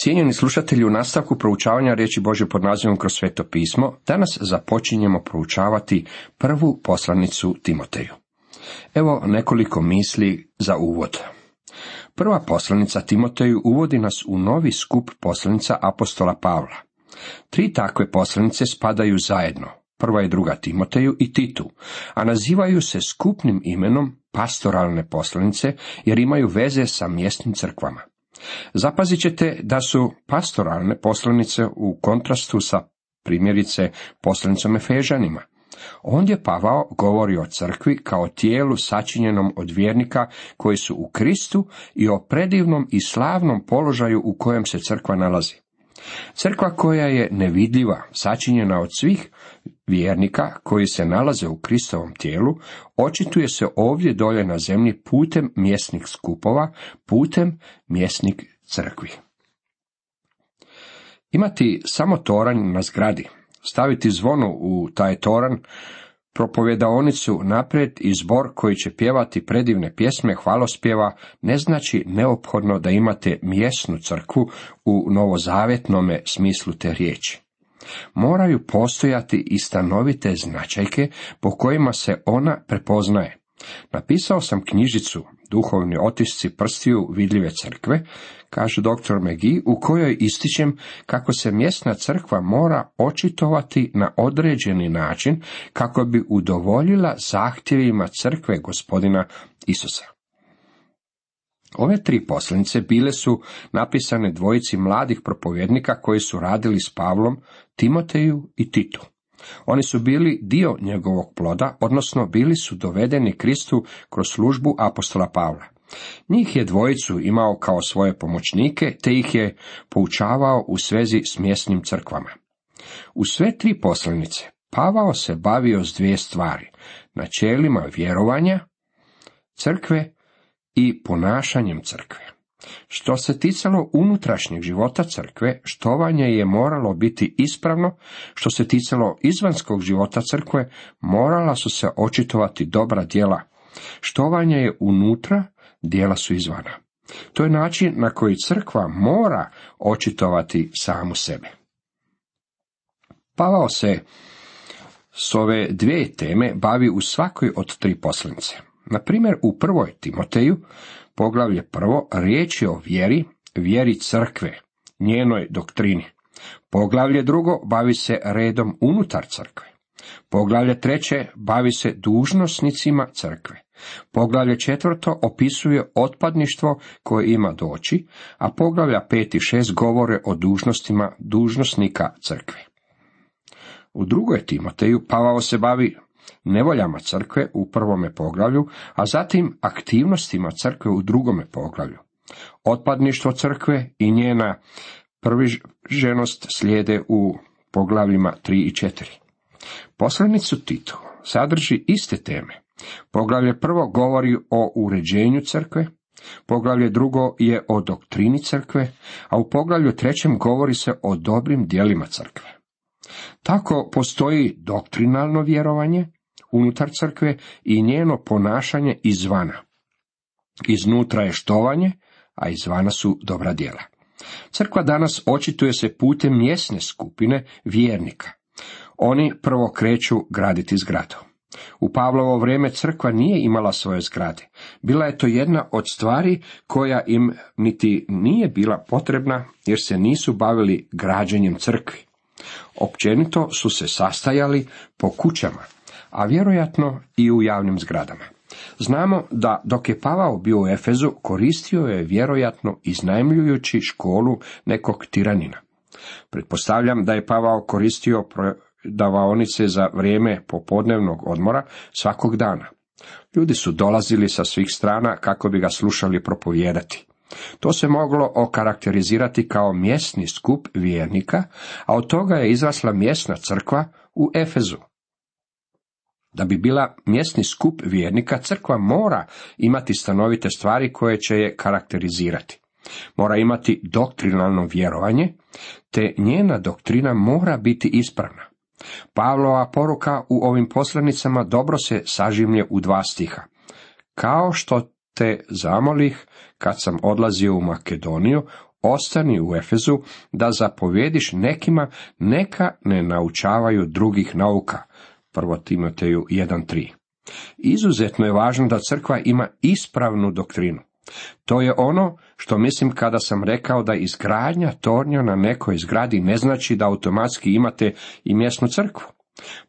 Cijenjeni slušatelji, u nastavku proučavanja riječi Božje pod nazivom Kroz sveto pismo, danas započinjemo proučavati prvu poslanicu Timoteju. Evo nekoliko misli za uvod. Prva poslanica Timoteju uvodi nas u novi skup poslanica apostola Pavla. 3 takve poslanice spadaju zajedno, prva i druga Timoteju i Titu, a nazivaju se skupnim imenom pastoralne poslanice jer imaju veze sa mjesnim crkvama. Zapazit ćete da su pastoralne poslanice u kontrastu sa primjerice poslanicom Efežanima. Ondje Pavao govori o crkvi kao tijelu sačinjenom od vjernika koji su u Kristu i o predivnom i slavnom položaju u kojem se crkva nalazi. Crkva koja je nevidljiva, sačinjena od svih vjernika koji se nalaze u Kristovom tijelu, očituje se ovdje dolje na zemlji putem mjesnih skupova, putem mjesnih crkvi. Imati samo toranj na zgradi, staviti zvono u taj toranj, propovjedaonicu naprijed i zbor koji će pjevati predivne pjesme hvalospjeva ne znači neophodno da imate mjesnu crkvu u novozavjetnome smislu te riječi. Moraju postojati i stanovite značajke po kojima se ona prepoznaje. Napisao sam knjižicu Duhovni otisci prstiju vidljive crkve, kaže dr. McGee, u kojoj ističem kako se mjesna crkva mora očitovati na određeni način kako bi udovoljila zahtjevima crkve Gospodina Isusa. Ove 3 poslanice bile su napisane dvojici mladih propovjednika koji su radili s Pavlom, Timoteju i Titu. Oni su bili dio njegovog ploda, odnosno bili su dovedeni Kristu kroz službu apostola Pavla. Njih je dvojicu imao kao svoje pomoćnike, te ih je poučavao u svezi s mjesnim crkvama. U sve 3 poslanice Pavao se bavio s 2 stvari, načelima vjerovanja crkve i ponašanjem crkve. Što se ticalo unutrašnjeg života crkve, štovanje je moralo biti ispravno, što se ticalo izvanjskog života crkve, morala su se očitovati dobra djela. Štovanje je unutra, djela su izvana. To je način na koji crkva mora očitovati samu sebe. Pavao se s ove 2 teme bavi u svakoj od 3 poslanice. Na primjer, u 1. Timoteju, poglavlje 1, riječ je o vjeri crkve, njenoj doktrini. Poglavlje 2 bavi se redom unutar crkve. Poglavlje 3 bavi se dužnosnicima crkve. Poglavlje 4 opisuje otpadništvo koje ima doći, a poglavlja 5 i 6 govore o dužnostima dužnosnika crkve. U 2. Timoteju Pavao se bavi nevoljama crkve u 1. poglavlju, a zatim aktivnostima crkve u 2. poglavlju. Otpadništvo crkve i njena privrženost slijede u poglavljima 3 i 4. Poslanicu Titu sadrži iste teme. Poglavlje 1 govori o uređenju crkve, poglavlje 2 je o doktrini crkve, a u poglavlju 3 govori se o dobrim djelima crkve. Tako postoji doktrinalno vjerovanje unutar crkve i njeno ponašanje izvana. Iznutra je štovanje, a izvana su dobra djela. Crkva danas očituje se putem mjesne skupine vjernika. Oni prvo kreću graditi zgradu. U Pavlovo vrijeme crkva nije imala svoje zgrade. Bila je to jedna od stvari koja im niti nije bila potrebna jer se nisu bavili građenjem crkvi. Općenito su se sastajali po kućama, a vjerojatno i u javnim zgradama. Znamo da dok je Pavao bio u Efezu, koristio je vjerojatno iznajmljujući školu nekog tiranina. Pretpostavljam da je Pavao koristio prodavaonice za vrijeme popodnevnog odmora svakog dana. Ljudi su dolazili sa svih strana kako bi ga slušali propovijedati. To se moglo okarakterizirati kao mjesni skup vjernika, a od toga je izrasla mjesna crkva u Efezu. Da bi bila mjesni skup vjernika, crkva mora imati stanovite stvari koje će je karakterizirati. Mora imati doktrinalno vjerovanje, te njena doktrina mora biti ispravna. Pavlova poruka u ovim poslanicama dobro se sažimlje u 2 stiha. Kao što te zamolih kad sam odlazio u Makedoniju, ostani u Efezu da zapovjediš nekima, neka ne naučavaju drugih nauka. 1. Timoteju 1.3. Izuzetno je važno da crkva ima ispravnu doktrinu. To je ono što mislim kada sam rekao da izgradnja tornja na nekoj zgradi ne znači da automatski imate i mjesnu crkvu.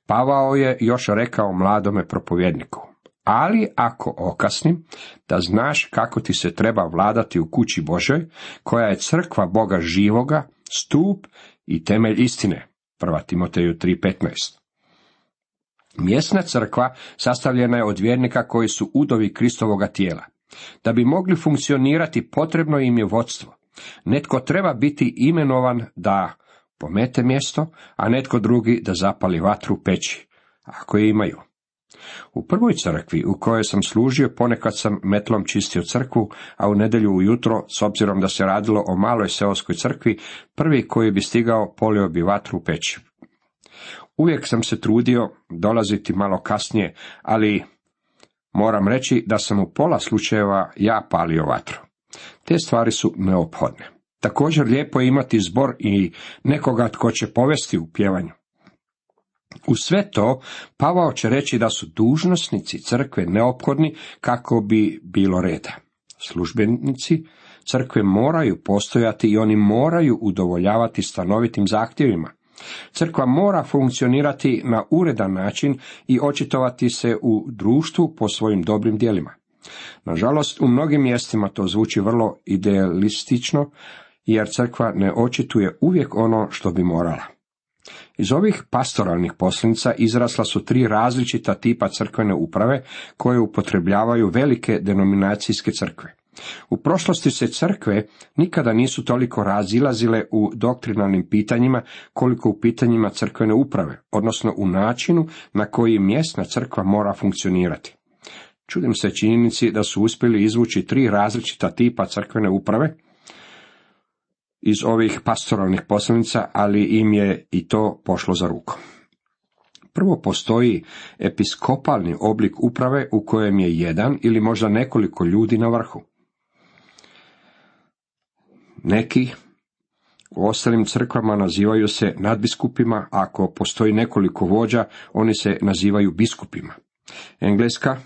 Pavao je još rekao mladome propovjedniku: ali ako okasnim, da znaš kako ti se treba vladati u kući Božoj, koja je crkva Boga živoga, stup i temelj istine. 1. Timoteju 3.15. Mjesna crkva sastavljena je od vjernika koji su udovi Kristovoga tijela. Da bi mogli funkcionirati, potrebno im je vodstvo. Netko treba biti imenovan da pomete mjesto, a netko drugi da zapali vatru u peći, ako je imaju. U prvoj crkvi u kojoj sam služio, ponekad sam metlom čistio crkvu, a u nedjelju ujutro, s obzirom da se radilo o maloj seoskoj crkvi, prvi koji bi stigao polio bi vatru u peći. Uvijek sam se trudio dolaziti malo kasnije, ali moram reći da sam u pola slučajeva ja palio vatru. Te stvari su neophodne. Također lijepo je imati zbor i nekoga tko će povesti u pjevanju. U sve to, Pavao će reći da su dužnosnici crkve neophodni kako bi bilo reda. Službenici crkve moraju postojati i oni moraju udovoljavati stanovitim zahtjevima. Crkva mora funkcionirati na uredan način i očitovati se u društvu po svojim dobrim djelima. Nažalost, u mnogim mjestima to zvuči vrlo idealistično, jer crkva ne očituje uvijek ono što bi morala. Iz ovih pastoralnih poslanica izrasla su 3 različita tipa crkvene uprave koje upotrebljavaju velike denominacijske crkve. U prošlosti se crkve nikada nisu toliko razilazile u doktrinalnim pitanjima koliko u pitanjima crkvene uprave, odnosno u načinu na koji mjesna crkva mora funkcionirati. Čudim se činjenici da su uspjeli izvući 3 različita tipa crkvene uprave iz ovih pastoralnih poslanica, ali im je i to pošlo za rukom. Prvo, postoji episkopalni oblik uprave u kojem je jedan ili možda nekoliko ljudi na vrhu. Neki u ostalim crkvama nazivaju se nadbiskupima, ako postoji nekoliko vođa, oni se nazivaju biskupima. Engleska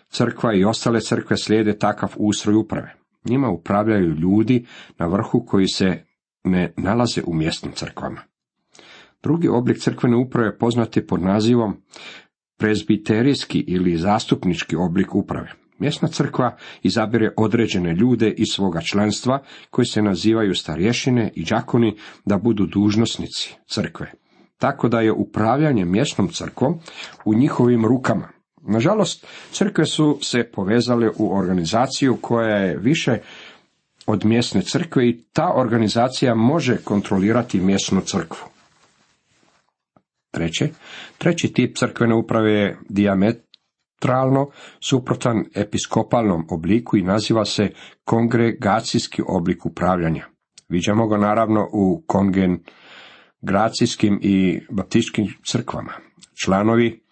crkva i ostale crkve slijede takav ustroj uprave. Njima upravljaju ljudi na vrhu koji se ne nalaze u mjesnim crkvama. Drugi oblik crkvene uprave poznat je pod nazivom prezbiterijski ili zastupnički oblik uprave. Mjesna crkva izabire određene ljude iz svoga članstva koji se nazivaju starješine i đakoni da budu dužnosnici crkve. Tako da je upravljanje mjesnom crkvom u njihovim rukama. Nažalost, crkve su se povezale u organizaciju koja je više od mjesne crkve i ta organizacija može kontrolirati mjesnu crkvu. Treći tip crkvene uprave je dijametralno suprotan episkopalnom obliku i naziva se kongregacijski oblik upravljanja. Viđamo ga naravno u kongregacijskim i baptističkim crkvama. Članovi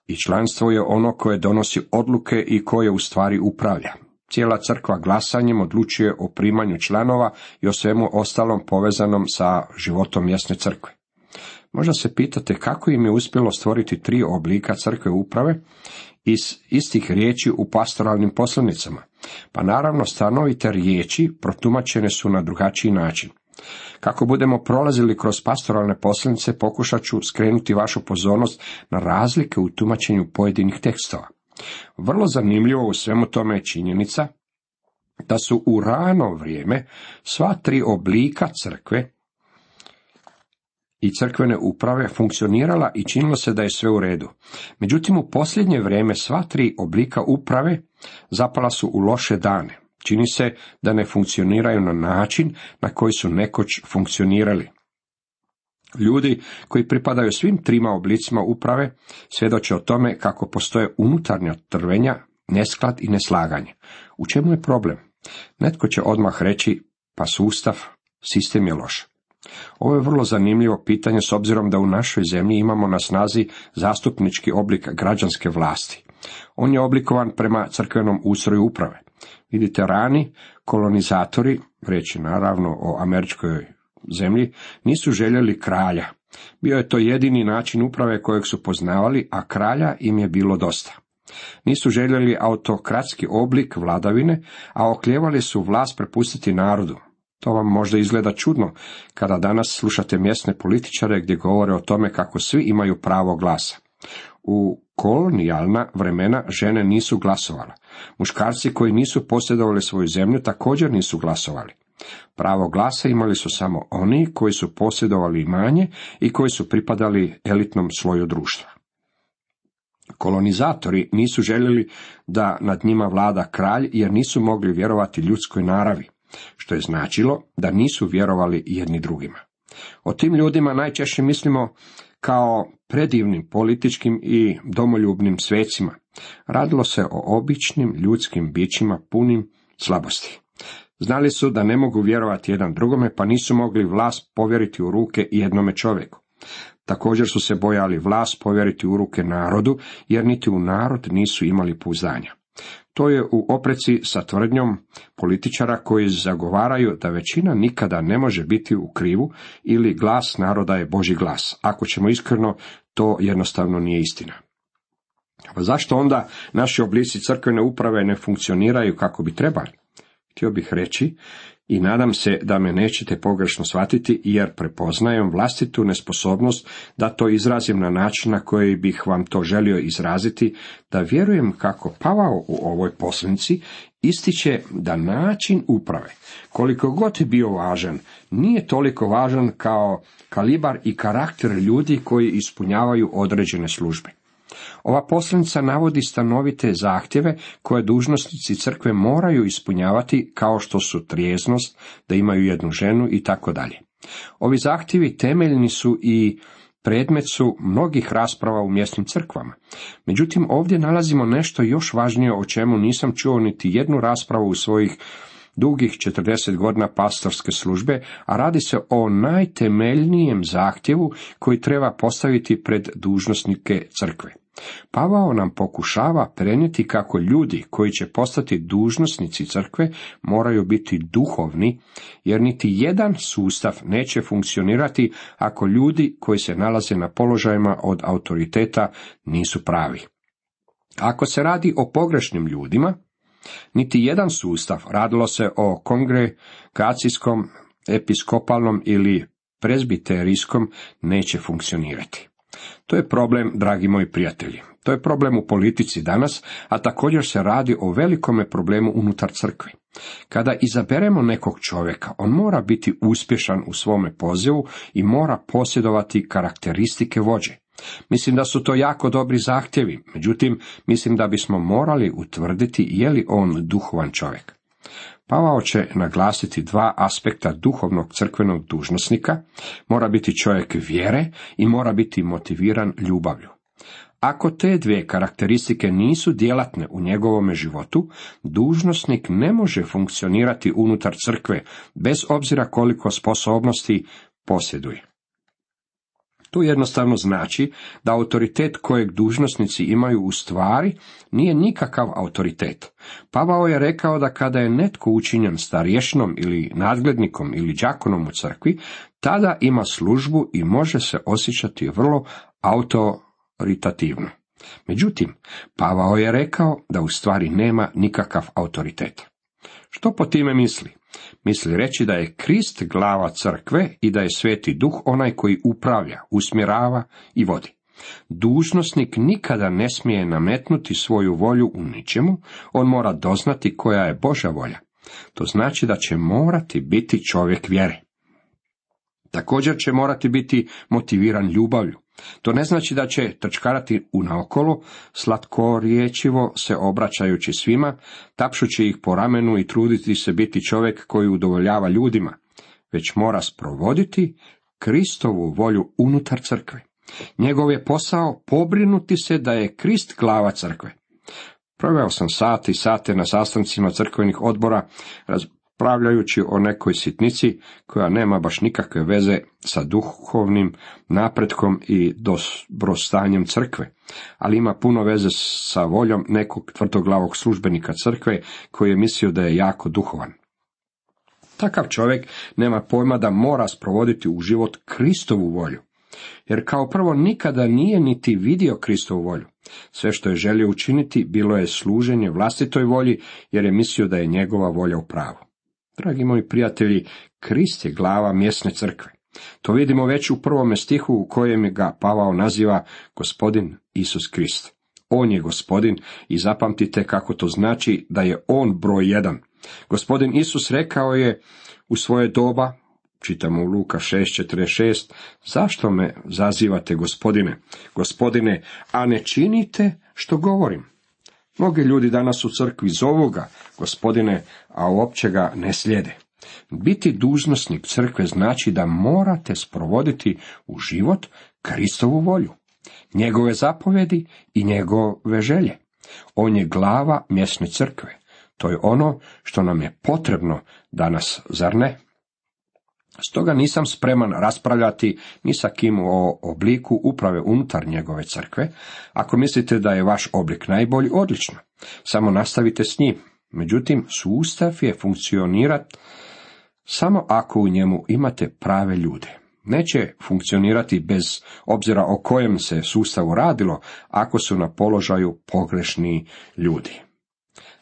i članstvo je ono koje donosi odluke i koje u stvari upravlja. Cijela crkva glasanjem odlučuje o primanju članova i o svemu ostalom povezanom sa životom mjesne crkve. Možda se pitate kako im je uspjelo stvoriti 3 oblika crkve uprave iz istih riječi u pastoralnim poslanicama. Pa naravno, stanovite riječi protumačene su na drugačiji način. Kako budemo prolazili kroz pastoralne poslanice, pokušat ću skrenuti vašu pozornost na razlike u tumačenju pojedinih tekstova. Vrlo zanimljivo u svemu tome je činjenica da su u rano vrijeme sva 3 oblika crkve i crkvene uprave funkcionirala i činilo se da je sve u redu. Međutim, u posljednje vrijeme sva 3 oblika uprave zapala su u loše dane. Čini se da ne funkcioniraju na način na koji su nekoć funkcionirali. Ljudi koji pripadaju svim 3 oblicima uprave svjedoče o tome kako postoje unutarnja trvenja, nesklad i neslaganje. U čemu je problem? Netko će odmah reći, pa sustav, sistem je loš. Ovo je vrlo zanimljivo pitanje s obzirom da u našoj zemlji imamo na snazi zastupnički oblik građanske vlasti. On je oblikovan prema crkvenom ustroju uprave. Vidite, rani kolonizatori, riječ je naravno o američkoj zemlji, nisu željeli kralja. Bio je to jedini način uprave kojeg su poznavali, a kralja im je bilo dosta. Nisu željeli autokratski oblik vladavine, a oklijevali su vlast prepustiti narodu. To vam možda izgleda čudno kada danas slušate mjesne političare gdje govore o tome kako svi imaju pravo glasa. U kolonijalna vremena žene nisu glasovale. Muškarci koji nisu posjedovali svoju zemlju također nisu glasovali. Pravo glasa imali su samo oni koji su posjedovali imanje i koji su pripadali elitnom sloju društva. Kolonizatori nisu željeli da nad njima vlada kralj jer nisu mogli vjerovati ljudskoj naravi, što je značilo da nisu vjerovali jedni drugima. O tim ljudima najčešće mislimo kao predivnim političkim i domoljubnim svecima. Radilo se o običnim ljudskim bićima punim slabosti. Znali su da ne mogu vjerovati jedan drugome, pa nisu mogli vlast povjeriti u ruke jednome čovjeku. Također su se bojali vlast povjeriti u ruke narodu, jer niti u narod nisu imali pouzdanja. To je u opreci sa tvrdnjom političara koji zagovaraju da većina nikada ne može biti u krivu ili glas naroda je Božji glas. Ako ćemo iskreno, to jednostavno nije istina. Pa zašto onda naši oblici crkvene uprave ne funkcioniraju kako bi trebali? Htio bih reći, i nadam se da me nećete pogrešno shvatiti, jer prepoznajem vlastitu nesposobnost da to izrazim na način na koji bih vam to želio izraziti, da vjerujem kako Pavao u ovoj poslanici ističe da način uprave, koliko god je bio važan, nije toliko važan kao kalibar i karakter ljudi koji ispunjavaju određene službe. Ova poslanica navodi stanovite zahtjeve koje dužnosnici crkve moraju ispunjavati, kao što su trijeznost, da imaju jednu ženu i tako dalje. Ovi zahtjevi temeljni su i predmet su mnogih rasprava u mjesnim crkvama. Međutim, ovdje nalazimo nešto još važnije o čemu nisam čuo niti jednu raspravu u svojih dugih 40 godina pastorske službe, a radi se o najtemeljnijem zahtjevu koji treba postaviti pred dužnosnike crkve. Pavao nam pokušava prenijeti kako ljudi koji će postati dužnosnici crkve moraju biti duhovni, jer niti jedan sustav neće funkcionirati ako ljudi koji se nalaze na položajima od autoriteta nisu pravi. Ako se radi o pogrešnim ljudima, niti jedan sustav, radilo se o kongregacijskom, episkopalnom ili prezbiterijskom, neće funkcionirati. To je problem, dragi moji prijatelji. To je problem u politici danas, a također se radi o velikome problemu unutar crkve. Kada izaberemo nekog čovjeka, on mora biti uspješan u svome pozivu i mora posjedovati karakteristike vođe. Mislim da su to jako dobri zahtjevi, međutim, mislim da bismo morali utvrditi je li on duhovan čovjek. Pavao će naglasiti dva aspekta duhovnog crkvenog dužnosnika, mora biti čovjek vjere i mora biti motiviran ljubavlju. Ako te dvije karakteristike nisu djelatne u njegovome životu, dužnosnik ne može funkcionirati unutar crkve, bez obzira koliko sposobnosti posjeduje. To jednostavno znači da autoritet kojeg dužnosnici imaju u stvari nije nikakav autoritet. Pavao je rekao da kada je netko učinjen starješinom ili nadglednikom ili đakonom u crkvi, tada ima službu i može se osjećati vrlo autoritativno. Međutim, Pavao je rekao da u stvari nema nikakav autoritet. Što po time misli? Misli reći da je Krist glava crkve i da je Sveti Duh onaj koji upravlja, usmjerava i vodi. Dužnosnik nikada ne smije nametnuti svoju volju u ničemu, on mora doznati koja je Božja volja. To znači da će morati biti čovjek vjere. Također će morati biti motiviran ljubavlju. To ne znači da će trčkarati unaokolo, slatkorječivo se obraćajući svima, tapšući ih po ramenu i truditi se biti čovjek koji udovoljava ljudima, već mora sprovoditi Kristovu volju unutar crkve. Njegov je posao pobrinuti se da je Krist glava crkve. Proveo sam sate i sate na sastancima crkvenih odbora, raspravljajući o nekoj sitnici koja nema baš nikakve veze sa duhovnim napretkom i dobrostanjem crkve, ali ima puno veze sa voljom nekog tvrdoglavog službenika crkve koji je mislio da je jako duhovan. Takav čovjek nema pojma da mora sprovoditi u život Kristovu volju, jer kao prvo nikada nije niti vidio Kristovu volju. Sve što je želio učiniti bilo je služenje vlastitoj volji, jer je mislio da je njegova volja u pravu. Dragi moji prijatelji, Krist je glava mjesne crkve. To vidimo već u 1. stihu u kojem ga Pavao naziva Gospodin Isus Krist. On je Gospodin i zapamtite kako to znači da je on broj 1. Gospodin Isus rekao je u svoje doba, čitamo u Luka 6:46, zašto me zazivate Gospodine, Gospodine, a ne činite što govorim? Mnogi ljudi danas u crkvi zovu ga Gospodine, a uopće ga ne slijede. Biti dužnosnik crkve znači da morate sprovoditi u život Kristovu volju, njegove zapovjedi i njegove želje. On je glava mjesne crkve. To je ono što nam je potrebno danas, zar ne? Stoga nisam spreman raspravljati ni sa kim o obliku uprave unutar njegove crkve. Ako mislite da je vaš oblik najbolji, odlično. Samo nastavite s njim. Međutim, sustav je funkcionirati samo ako u njemu imate prave ljude. Neće funkcionirati bez obzira o kojem se sustavu radilo, ako su na položaju pogrešni ljudi.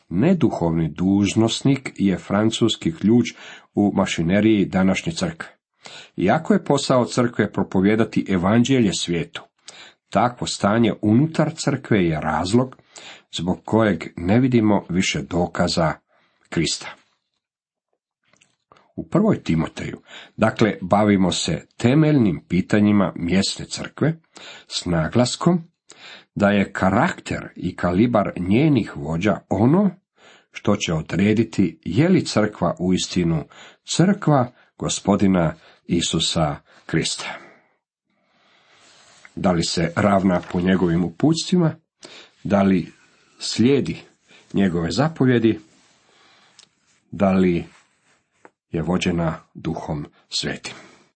Neduhovni dužnosnik je francuski ključ u mašineriji današnje crkve. Iako je posao crkve propovijedati evanđelje svijetu, takvo stanje unutar crkve je razlog zbog kojeg ne vidimo više dokaza Krista. U 1. Timoteju, dakle, bavimo se temeljnim pitanjima mjesne crkve s naglaskom da je karakter i kalibar njenih vođa ono što će odrediti je li crkva uistinu crkva Gospodina Isusa Krista. Da li se ravna po njegovim uputstvima, da li slijedi njegove zapovjedi, da li je vođena Duhom Svetim.